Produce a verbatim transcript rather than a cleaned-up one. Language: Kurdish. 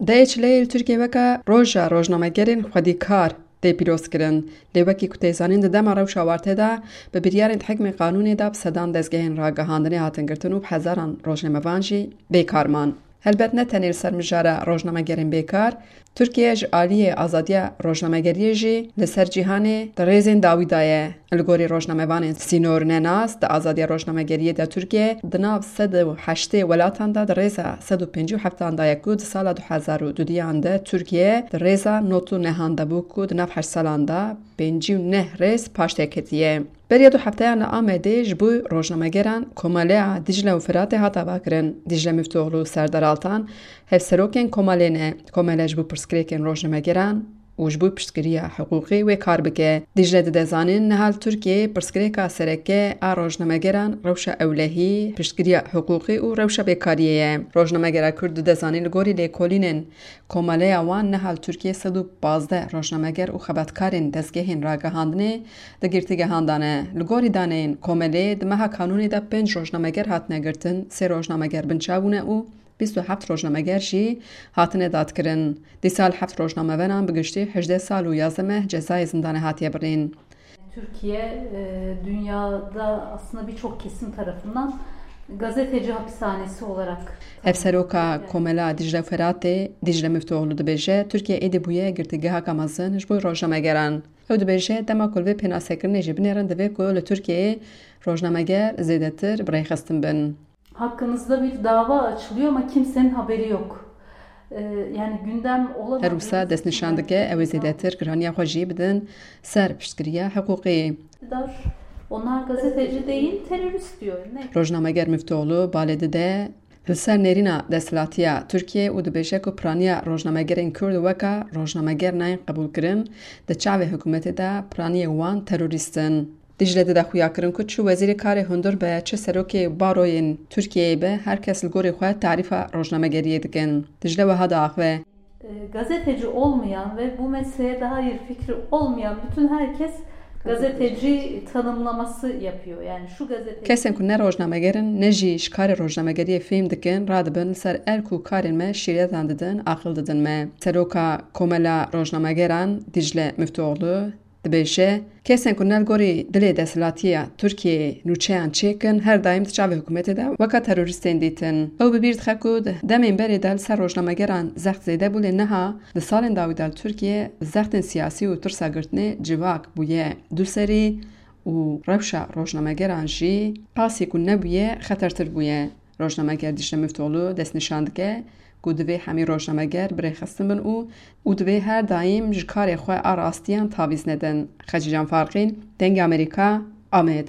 Dehê çileyê li Tirkiyê weke Roja Rojnamegerên Xwedîkar tê pîrozkirin. Lê wekî ku tê zanîn, di dema rewşa Wartê de bi biryarên hikmê qanûnê de bi sedan dezgehên ragihandinê hatin girtin û bi hezaran rojnamevan jî bêkar man. Helbet ne tenê li ser mijara rojnamegerên bêkar, Tirkiye ji aliyê azadiya rojnamegeriyê jî li ser cîhanê di rêzên dawî de ye. Li gorî rojnamevanên sînornenas, di azadiya rojnamegeriyê de Tirkiye di nav sed û heştê welatan de di rêza sed û pêncî û heftan de ye ku di sala du hezar û dudiyan de Tirkiye di rêza nod û nehan de bû ku di nav heşt salan de pêncî û neh rêz paş tê ketiye. Beriya du hefteyan li Amedê ji bo rojnamegeran Komeleya Dicle û Firatê hat avakirin. Dicle Miftoglu Serdar Altan hevserokên komelê ne. Komele ji bo pirsgirêkên rojnamegeran û ji bo piştgiriya hiqûqî wê kar bike. Dicle dide zanîn, niha li Tirkiyeyê pirsgirêka sereke a rojnamegeran rewşa ewlehî, piştgiriya hiqûqî û rewşa bêkariyê ye. Rojnamegera Kurd dide zanîn, li gorî lêkolînên komeleya wan, niha li Tirkiyeyê sed û pazdeh rojnameger û xebatkarên dezgehên ragihandinê di girtîgehan de ne. Li gorî daneyên komelê, di meha kanûnê de pênc rojnameger hatine girtin, sê rojnameger binçav bûne û bîst û heft rojnameger jî hatine dadkirin. Dîsa li heft rojnameveran bi giştî hejdeh sal û yazdeh meh cezayê zindanê hatiye birîn. Türkiye e, dünyada aslında birçok kesim tarafından gazeteci hapishanesi olarak Hevseroka Komela Dicle Firatê, Dicle Miftoglu dibêje, Tirkiye êdî bûye girtîgehaka mezin ji bo rojnamegeran. Ew dibêje, dema ku li vê pênasekirinê jî binêrin, divê ku li Tirkiyeyê rojnameger zêdetir bi rêxistin bin. Hakkınızda bir dava açılıyor ama kimsenin haberi yok. Ee, yani gündem olamadığı Her wisa destnîşan dike ew ê zêdetir giraniya xwe jî bidin ser piştgiriya hiqûqî. Dar, onlar gazeteci değil, terörist diyor. Ne? Rojnameger Miftoglu balê dide li ser nêrîna desthilatiya Tirkiyê û dibêje ku piraniya rojnamegerên Kurd weka rojnameger nayên qebûlkirin, di çavê hikûmetê de piraniyê wan terorîst in. Dicle dide xuyakirin ku çi wezîrê karê hundir be, çi serokê baroyên Tirkiyeyê be, her kes li gorî xwe tarîfa rojnamegeriyê dikin. Dicle wiha diaxive. E, gazeteci olmayan ve bu mesleğe dair fikri olmayan bütün herkes gazeteci tanımlaması yapıyor. Yani şu gazeteci... Kesên ku ne rojnameger in, ne jî ji karê rojnamegeriyê fêm dikin, radibin li ser erk û karên me şîretan didin, aqil didin me. Seroka Komela Rojnamegeran Dicle Miftoglu dibêje, kesên ku ne li gorî dilê desthilatiya Tirkiyeyê nûçeyan çêkin, her daîm di çavê hikûmetê de weka terorîstên dîtin. Ew bi bîr dixe ku di demên berê de li ser rojnamegeran zext zêde bû, lê niha di salên dawî de li Tirkiye zextên siyasî û tirsa girtinê civak bûye duserî û rewşa rojnamegeran jî qasî ku nebûye xetertir bûye. Rojnameger Dicle Miftoglu destnîşan dike ku divê hemî rojnameger birêxistin bin û û divê her daîm ji karê xwe a rastiyan tavîz nedin. Xecîcan Farqîn, Dengê Amerîka, Amed.